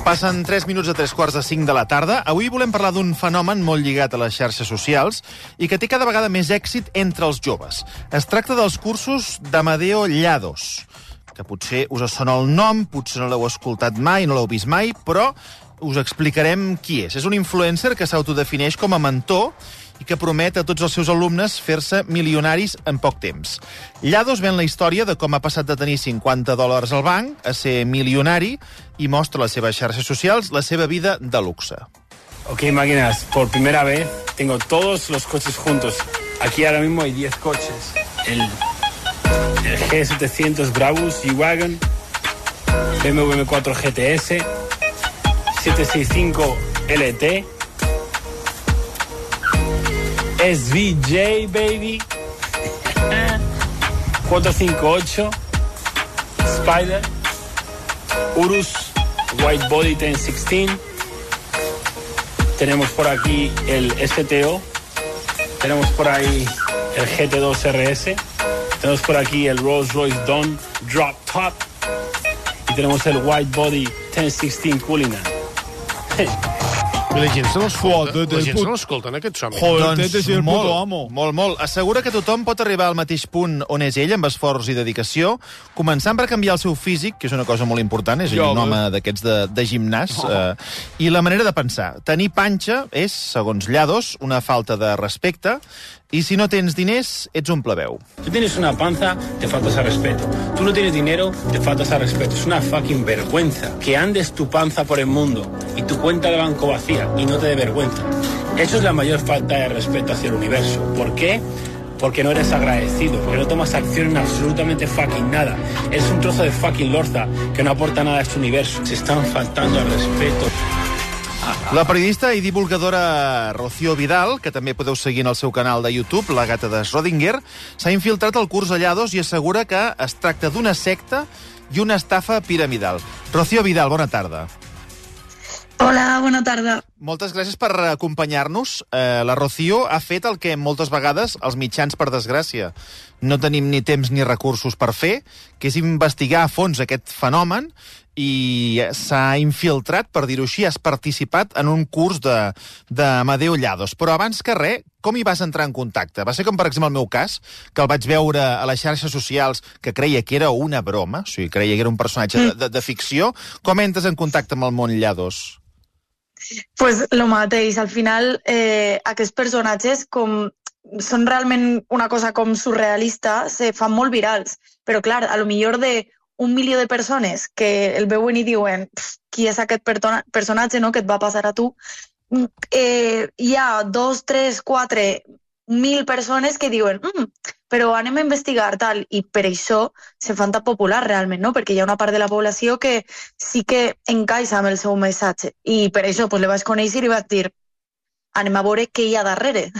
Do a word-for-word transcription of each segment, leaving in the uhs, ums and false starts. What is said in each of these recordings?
Passen tres minuts a tres quarts de cinc de la tarda. Avui volem parlar d'un fenomen molt lligat a les xarxes socials i que té cada vegada més èxit entre els joves. Es tracta dels cursos d'Amadeo Llados, que potser us sona el nom, potser no l'heu escoltat mai, no l'heu vist mai, però us explicarem qui és. És un influencer que s'autodefineix com a mentor i que promet a tots els seus alumnes fer-se milionaris en poc temps. Llados ven la història de com ha passat de tenir cinquanta dòlars al banc a ser milionari i mostra a les seves xarxes socials la seva vida de luxe. Ok, máquinas, por primera vez tengo todos los coches juntos. Aquí ahora mismo hay diez coches. El, el G setecientos Brabus G-Wagon, B M W M cuatro G T S, setecientos sesenta y cinco L T, S V J, baby, cuatrocientos cincuenta y ocho, Spider, Urus, White Body diez dieciséis, tenemos por aquí el S T O, tenemos por ahí el G T dos R S, tenemos por aquí el Rolls Royce Dawn Drop Top y tenemos el White Body diez dieciséis Cullinan. I la gent se l'escolta, Joder, la gent put- se l'escolta en aquest somni. Joder, Doncs tete, si el molt, puto amo. molt, molt. Assegura que tothom pot arribar al mateix punt on és ell, amb esforç i dedicació, començant per canviar el seu físic, que és una cosa molt important, és Jo, un home. home d'aquests de, de gimnàs, eh, i la manera de pensar. Tenir panxa és, segons Llados, una falta de respecte, i si no tens diners, ets un plebeu. Tú tienes una panza, te faltas al respeto. Tú no tienes dinero, te faltas al respeto. Es una fucking vergüenza que andes tu panza por el mundo y tu cuenta de banco vacía y no te dé vergüenza. Eso es la mayor falta de respeto hacia el universo. ¿Por qué? Porque no eres agradecido, porque no tomas acción en absolutamente fucking nada. Eres un trozo de fucking lorza que no aporta nada a este universo. Se están faltando al respeto. La periodista i divulgadora Rocío Vidal, que també podeu seguir en el seu canal de YouTube, La gata de Schrödinger, s'ha infiltrat al curs de Llados i assegura que es tracta d'una secta i una estafa piramidal. Rocío Vidal, bona tarda. Hola, bona tarda. Moltes gràcies per acompanyar-nos. Eh, la Rocío ha fet el que moltes vegades els mitjans, per desgràcia, no tenim ni temps ni recursos per fer, que és investigar a fons aquest fenomen, i s'ha infiltrat, per dir-ho així, has participat en un curs de, d'Amadeo Llados. Però abans que res, com hi vas entrar en contacte? Va ser com, per exemple, el meu cas, que el vaig veure a les xarxes socials, que creia que era una broma, o sigui, creia que era un personatge de, de, de ficció. Com entres en contacte amb el món Llados? Pues lo mateix, al final eh, aquests personatges com són realment una cosa com surrealista, se fan molt virals, però clar, a lo millor de un milió de persones que el veuen i diuen qui és aquest personatge, no, que et va passar a tu, eh, hi ha dos, tres, quatre mil persones que diuen mm, però anem a investigar tal, i per això se fan tan popular realment, no? Perquè hi ha una part de la població que sí que encaixa amb el seu missatge, i per això pues, le vaig conèixer i vaig dir anem a veure què hi ha darrere.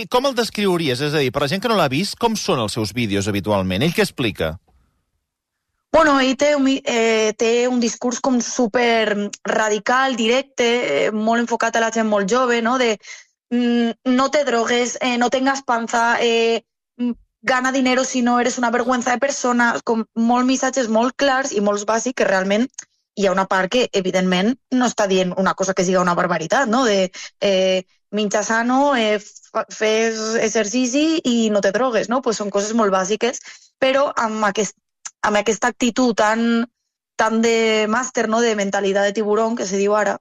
Com el descriuries? És a dir, per la gent que no l'ha vist, com són els seus vídeos habitualment? Ell què explica? Bueno, ell té un, eh, té un discurs com super radical, directe, eh, molt enfocat a la gent molt jove, no? De mm, no te drogues, eh, no tengas panza, eh, gana dinero si no eres una vergüenza de persona, com molts missatges molt clars i molts bàsics, que realment hi ha una part que, evidentment, no està dient una cosa que siga una barbaritat, no? De eh, menja sano, eh, fes exercici i no te drogues, no? Pues són coses molt bàsiques, però amb aquest amb aquesta actitud tan, tan de màster, no? De mentalitat de tiburón, que se diu ara,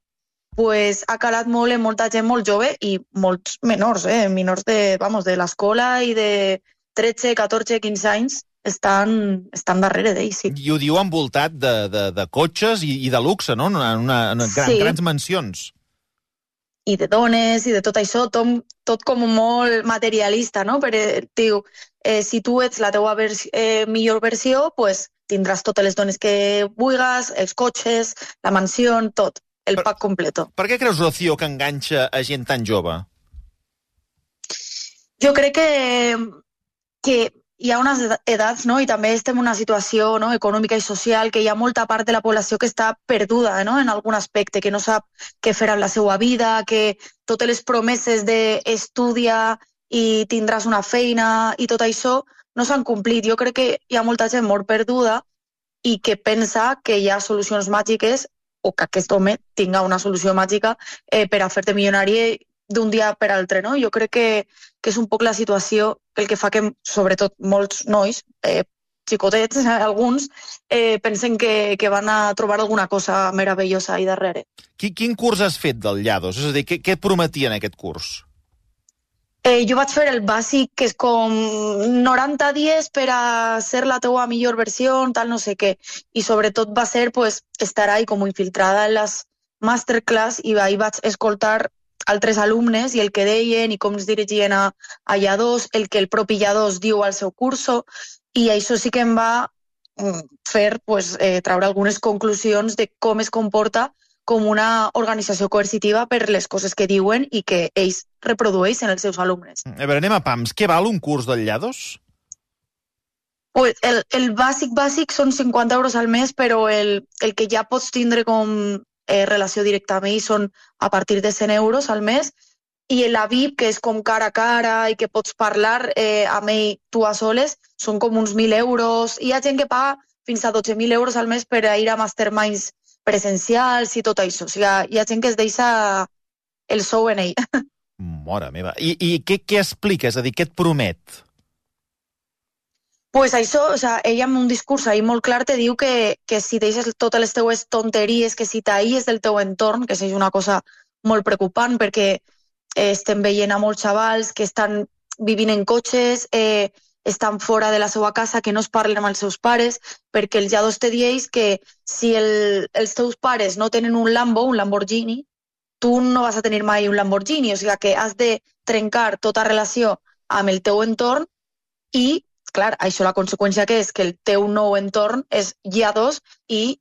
pues ha calat molt en molta gent molt jove i molts menors, eh? menors de, vamos, de l'escola i de tretze, catorze, quinze anys estan, estan darrere d'ell, sí. I ho diu envoltat de, de, de cotxes i, i de luxe, no? En, una, en gran, Sí. grans mansions. I de dones i de tot això, tot, tot com molt materialista, no? Però diu, eh, si tu ets la teua vers eh, millor versió, pues tindràs totes les dones que vulguis, els cotxes, la mansió, tot, el Per- pack completo. Per què creus, Rocío, que enganxa a gent tan jove? Jo crec que, que hi ha unes edats, no? I també estem en una situació, no? econòmica i social, que hi ha molta part de la població que està perduda, no? En algun aspecte, que no sap què fer amb la seva vida, que totes les promeses d'estudia i tindràs una feina i tot això no s'han complit. Jo crec que hi ha molta gent molt perduda i que pensa que hi ha solucions màgiques o que aquest home tinga una solució màgica eh, per a fer-te milionari d'un dia per altre, no? Jo crec que, que és un poc la situació el que fa que, sobretot, molts nois, eh, xicotets, alguns, eh, pensen que, que van a trobar alguna cosa meravellosa ahí darrere. Quin, quin curs has fet del Llados? És a dir, què, què et prometien aquest curs? Eh, jo vaig fer el bàsic, que és com noranta dies per a ser la teua millor versió, tal no sé què. I sobretot va ser pues, estar ahí com infiltrada en les masterclass i ahí vaig escoltar altres alumnes i el que deien i com es dirigien a, a Llados, el que el propi Llados diu al seu curso, i això sí que em va fer pues, eh, traure algunes conclusions de com es comporta com una organització coercitiva per les coses que diuen i que ells reprodueixen els seus alumnes. A veure, anem a pams. Què val un curs del Llados? Pues el, el bàsic bàsic són cinquanta euros al mes, però el, el que ja pots tindre com eh, relació directa amb ells són a partir de cent euros al mes, i la V I P, que és com cara a cara i que pots parlar eh, amb ell tu a soles, són com uns mil euros. Hi ha gent que paga fins a dotze mil euros al mes per a ir a masterminds presencials i tot això. O sigui, hi ha gent que es deixa el sou en ell. Mare meva. I, i què, què explica? És a dir, què et promet? Pues això, o sea, ella amb un discurs ahí molt clar te diu que, que si deixes totes les teues tonteries, que si t'aïes del teu entorn, que és una cosa molt preocupant perquè eh, estem veient a molts xavals que estan vivint en cotxes, eh, estan fora de la seva casa, que no es parlen amb els seus pares, perquè el Llados te dieix que si el, els teus pares no tenen un Lambo, un Lamborghini, tu no vas a tenir mai un Lamborghini, o sigui que has de trencar tota relació amb el teu entorn i, clar, això la conseqüència que és que el teu nou entorn és Llados i,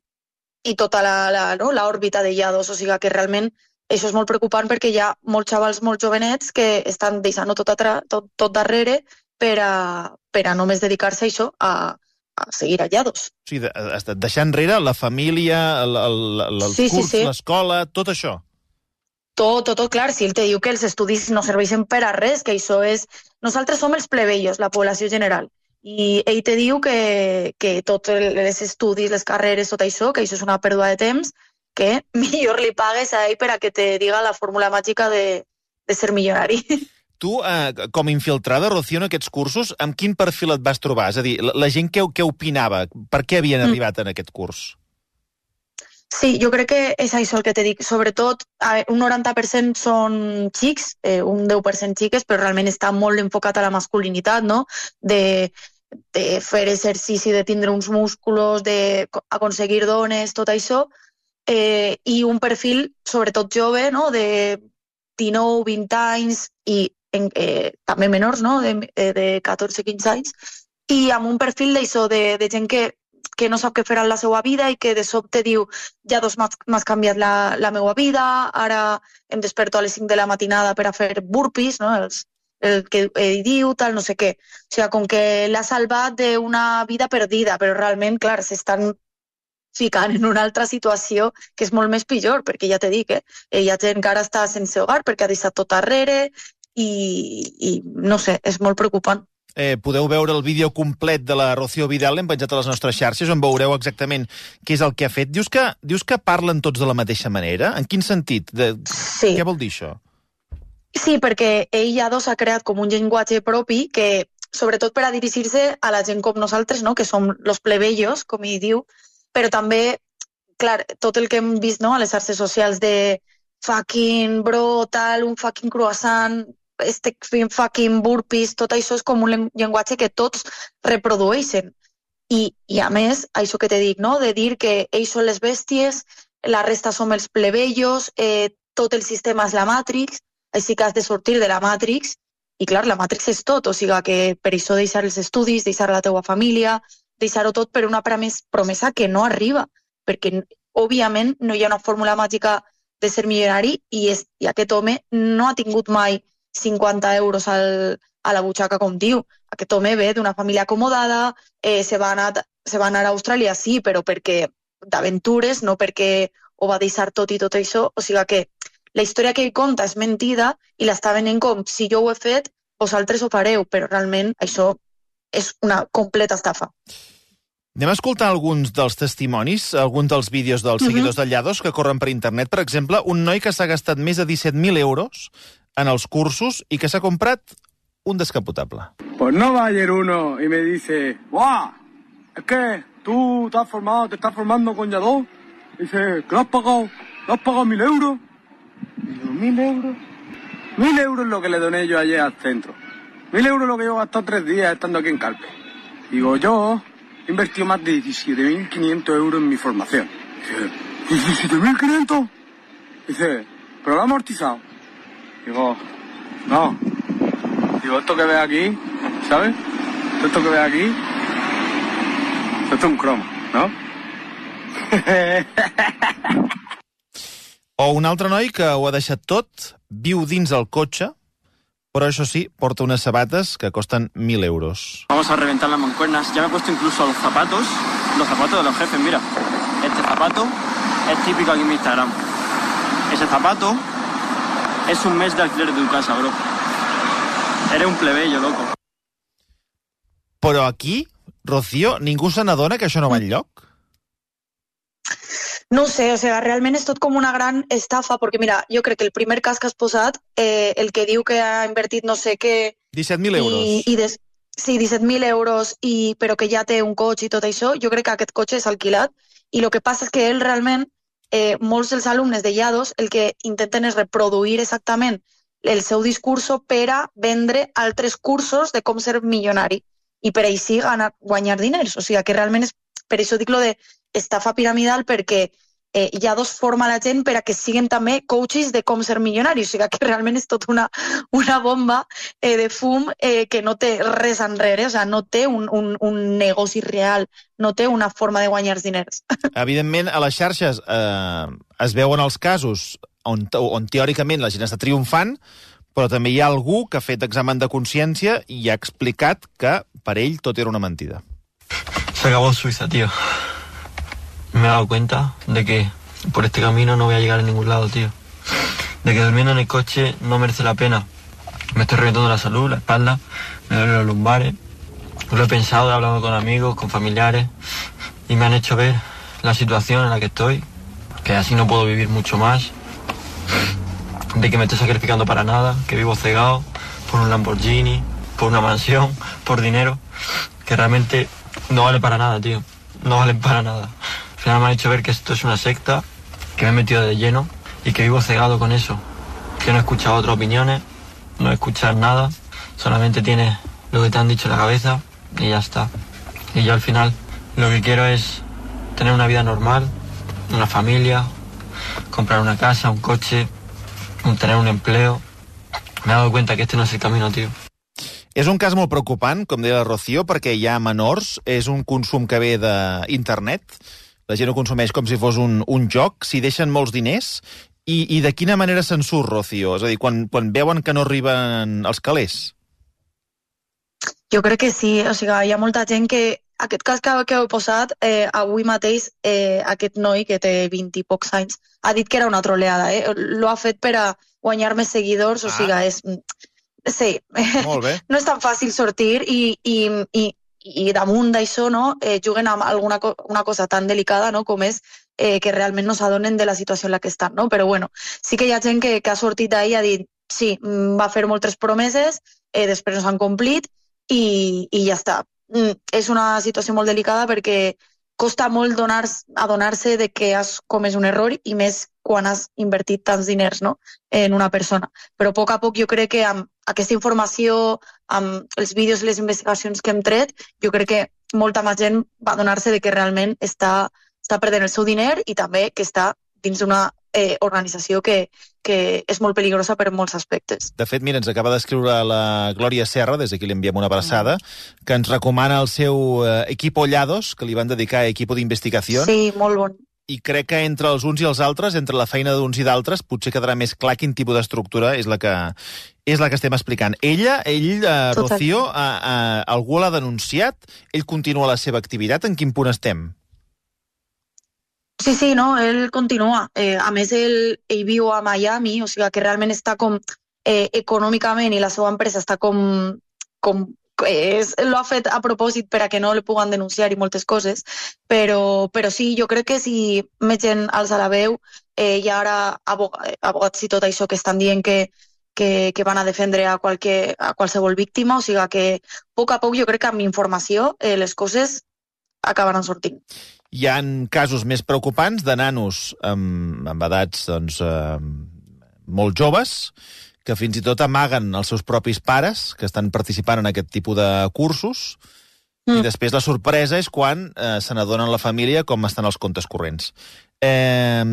i tota la, la, no, l'òrbita de Llados, o sigui que realment això és molt preocupant perquè hi ha molts xavals molt jovenets que estan deixant tot, atra, tot, tot darrere per a, per a només dedicar-se a això, a, a seguir a Llados. O sigui, de, deixar enrere la família, el, el, el, el sí, curs, sí, sí. l'escola, tot això. Tot, tot, tot, clar, si ell te diu que els estudis no serveixen per a res, que això és... Nosaltres som els plebeios, la població general, i ell te diu que, que tots els estudis, les carreres, tot això, que això és una pèrdua de temps, que millor li pagues a ell per a que te diga la fórmula màgica de, de ser milionari. Tu, eh, com infiltrada, Rocío, en aquests cursos, amb quin perfil et vas trobar? És a dir, la, la gent què, què opinava? Per què havien mm. arribat en aquest curs? Sí, jo crec que és això el que te dic. Sobretot, un noranta per cent són xics, eh, un deu per cent xiques, però realment està molt enfocat a la masculinitat, no? De, de fer exercici, de tindre uns músculs, d'aconseguir dones, tot això. Eh, I un perfil, sobretot jove, no? De dinou, vint anys i en, eh, també menors, no? De, de catorze, quinze anys. I amb un perfil d'això, de, de gent que que no sap què fer en la seva vida i que de sobte diu Llados m'has canviat la, la meva vida, ara em desperto a les cinc de la matinada per a fer burpees, no? Els, el que ell diu, tal, no sé què. O sigui, com que l'ha salvat d'una vida perdida, però realment, clar, s'estan ficant en una altra situació que és molt més pitjor, perquè ja t'he dit, eh? Hi ha gent que ara està sense hogar perquè ha deixat tot darrere i, i no sé, és molt preocupant. Eh, podeu veure el vídeo complet de la Rocío Vidal, l'hem penjat a les nostres xarxes, on veureu exactament què és el que ha fet. Dius que, dius que parlen tots de la mateixa manera? En quin sentit? De... Sí. Què vol dir això? Sí, perquè ell Llados ha creat com un llenguatge propi que, sobretot per a dirigir-se a la gent com nosaltres, no? Que som los plebeios, com ell diu, però també, clar, tot el que hem vist, no? A les xarxes socials de fucking bro, tal, un fucking croissant, este fucking burpees, tot això és com un llenguatge que tots reprodueixen. I, i a més, això que t'he dit, no? De dir que ells són les bèsties, la resta som els plebeios, eh, tot el sistema és la Matrix, així que has de sortir de la Matrix, i clar, la Matrix és tot, o sigui que per això deixar els estudis, deixar la teua família, deixar-ho tot per una promesa que no arriba, perquè, òbviament, no hi ha una fórmula màgica de ser milionari i, és, i aquest home no ha tingut mai cinquanta euros al, a la butxaca, com diu. Aquest home ve d'una família acomodada, eh, se, va anar, se va anar a Austràlia, sí, però perquè d'aventures, no perquè ho va deixar tot i tot això. O sigui que la història que ell conta és mentida i l'està venent com si jo ho he fet, vosaltres ho fareu, però realment això és una completa estafa. Anem a escoltar alguns dels testimonis, alguns dels vídeos dels uh-huh. seguidors de Llados que corren per internet. Per exemple, un noi que s'ha gastat més de disset mil euros en els cursos i que s'ha comprat un descapotable. Pues no va ayer uno y me dice, ¡guau! Es que tú te has formado, te estás formando con Llados. Dice, ¿que lo has pagado? ¿Lo has pagado mil euros? Y digo, ¿mil euros? Mil euros es lo que le doné yo ayer al centro. Mil euros es lo que yo he gastado tres días estando aquí en Calpe. Digo, yo he invertido más de diecisiete mil quinientos euros en mi formación. Dice, ¿diecisiete mil quinientos? Dice, ¿pero lo he amortizado? Digo, no. Digo, esto que ves aquí, ¿sabes? Esto que ves aquí, esto es un croma, ¿no? O un altre noi que ho ha deixat tot, viu dins el cotxe, pero eso sí, porta unas sabatas que costan mil euros. Vamos a reventar las mancuernas. Ya me he puesto incluso los zapatos, los zapatos de los jefes, mira. Este zapato es típico aquí en mi Instagram. Ese zapato es un mes de alquiler de tu casa, bro. Eres un plebeyo, loco. Però aquí, Rocío, ningú se n'adona que això no va enlloc? No sé, o sea, realment és tot com una gran estafa, perquè mira, jo crec que el primer cas que has posat, eh, el que diu que ha invertit no sé què... disset mil euros. I, i des... Sí, disset mil euros, i, però que ja té un cotxe i tot això, jo crec que aquest cotxe és alquilat, i el que passa és que ell realment, eh, molts dels alumnes de Llados, el que intenten és reproduir exactament el seu discurso per a vendre altres cursos de com ser milionari, i per així ganar, guanyar diners. O sigui, que realment és, per això dic lo de estafa piramidal, perquè eh, Llados forma la gent per a que siguin també coaches de com ser milionaris. O sigui que realment és tot una, una bomba eh, de fum eh, que no té res enrere, o sigui, no té un, un, un negoci real, no té una forma de guanyar diners. Evidentment, a les xarxes eh, es veuen els casos on, on teòricament la gent està triomfant, però també hi ha algú que ha fet examen de consciència i ha explicat que per ell tot era una mentida. Se acabó Suiza, tío. Me he dado cuenta de que por este camino no voy a llegar a ningún lado, tío. De que durmiendo en el coche no merece la pena. Me estoy reventando la salud, la espalda, me duelen los lumbares. Lo he pensado, he hablado con amigos, con familiares, y me han hecho ver la situación en la que estoy, que así no puedo vivir mucho más, de que me estoy sacrificando para nada, que vivo cegado por un Lamborghini, por una mansión, por dinero, que realmente no vale para nada, tío. No valen para nada. Al final me han hecho ver que esto es una secta, que me he metido de lleno y que vivo cegado con eso. Que no he escuchado otras opiniones, no he escuchado nada, solamente tienes lo que te han dicho en la cabeza y ya está. Y yo al final lo que quiero es tener una vida normal, una familia, comprar una casa, un coche, tener un empleo. Me he dado cuenta que este no es el camino, tío. És un cas molt preocupant, com deia la Rocío, perquè hi ha menors, és un consum que ve d'internet, la gent ho consumeix com si fos un, un joc, s'hi deixen molts diners, i, i de quina manera se'n surt, Rocío? És a dir, quan, quan veuen que no arriben els calés? Jo crec que sí, o sigui, hi ha molta gent que, aquest cas que, que heu posat, eh, avui mateix eh, aquest noi, que té vint i pocs anys, ha dit que era una troleada, eh? Lo ha fet per a guanyar més seguidors, o sigui, ah. és... Sí, molt bé. No és tan fàcil sortir i, i, i, i damunt d'això no, eh, juguen amb alguna co una cosa tan delicada no, com és eh, que realment no s'adonen de la situació en la que estan. No? Però bueno, sí que hi ha gent que, que ha sortit d'ahir i ha dit sí, va fer moltes promeses, eh, després no s'han complit i, i ja està. Mm, és una situació molt delicada perquè costa molt adonar-se de que has comès un error i més quan has invertit tants diners no? en una persona. Però a poc a poc jo crec que amb aquesta informació, amb els vídeos i les investigacions que hem tret, jo crec que molta més gent va adonar-se de que realment està, està perdent el seu diner i també que està dins d'una eh, organització que, que és molt peligrosa per molts aspectes. De fet, mira, ens acaba d'escriure la Glòria Serra, des d'aquí li enviem una abraçada, que ens recomana el seu eh, Equipo Llados, que li van dedicar a Equipo d'Investigació. Sí, molt bon. I crec que entre els uns i els altres, entre la feina d'uns i d'altres, potser quedarà més clar quin tipus d'estructura és la que és la que estem explicant. Ella, ell, eh, Rocío, eh, eh, algú l'ha denunciat? Ell continua la seva activitat? En quin punt estem? Sí, sí, no, ell continua. Eh, a més, ell, ell viu a Miami, o sigui que realment està com eh, econòmicament i la seva empresa està com, com és, lo ha fet a propòsit per a que no li puguen denunciar i moltes coses, però, però sí, jo crec que si més gent alça la veu, eh, hi ha ara abogats i tot això que estan dient que, que, que van a defendre a, qualque, a qualsevol víctima, o sigui que a poc a poc jo crec que amb informació eh, les coses acabaran sortint. Hi ha casos més preocupants de nanos amb, amb edats doncs, eh, molt joves, que fins i tot amaguen els seus propis pares, que estan participant en aquest tipus de cursos, mm. i després la sorpresa és quan eh, se n'adonen la família com estan els comptes corrents. Eh,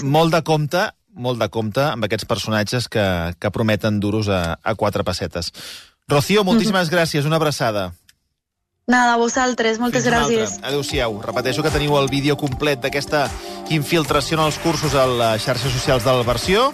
molt de compte, molt de compte amb aquests personatges que, que prometen duros a, a quatre pessetes. Rocío, moltíssimes mm-hmm. gràcies, una abraçada. Nada, a vosaltres, moltes Fins gràcies. Adéu-siau. Repeteixo que teniu el vídeo complet d'aquesta infiltració en els cursos a les xarxes socials del Versió.